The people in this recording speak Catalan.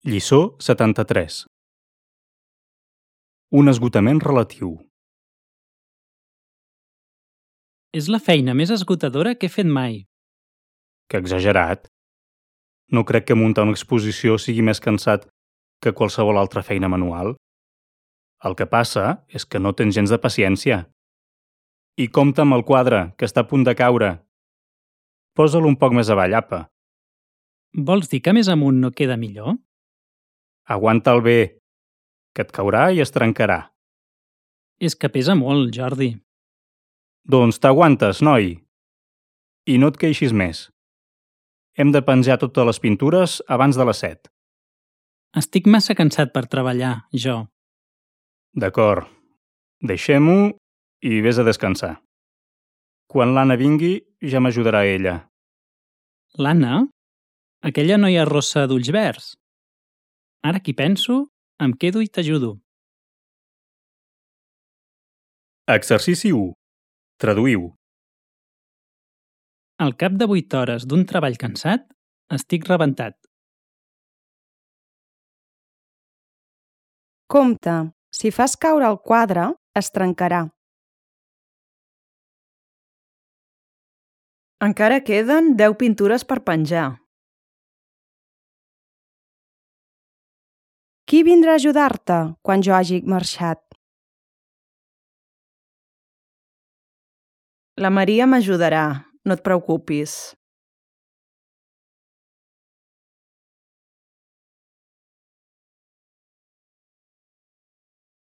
Lliçó 73. Un esgotament relatiu. És la feina més esgotadora que he fet mai. Que exagerat. No crec que muntar una exposició sigui més cansat que qualsevol altra feina manual. El que passa és que no tens gens de paciència. I compta amb el quadre, que està a punt de caure. Posa-lo un poc més avall, apa. Vols dir que més amunt no queda millor? Aguanta'l bé, que et caurà i es trencarà. És que pesa molt, Jordi. Doncs t'aguantes, noi. I no et queixis més. Hem de penjar totes les pintures abans de les 7. Estic massa cansat per treballar, jo. D'acord. Deixem-ho i vés a descansar. Quan l'Anna vingui, ja m'ajudarà ella. L'Anna? Aquella noia rossa d'ulls verds? Ara que hi penso, em quedo i t'ajudo. Exercici 1. Traduïu. Al cap de 8 hores d'un treball cansat, estic rebentat. Compte, si fas caure el quadre, es trencarà. Encara queden 10 pintures per penjar. Qui vindrà a ajudar-te quan jo hagi marxat? La Maria m'ajudarà, no et preocupis.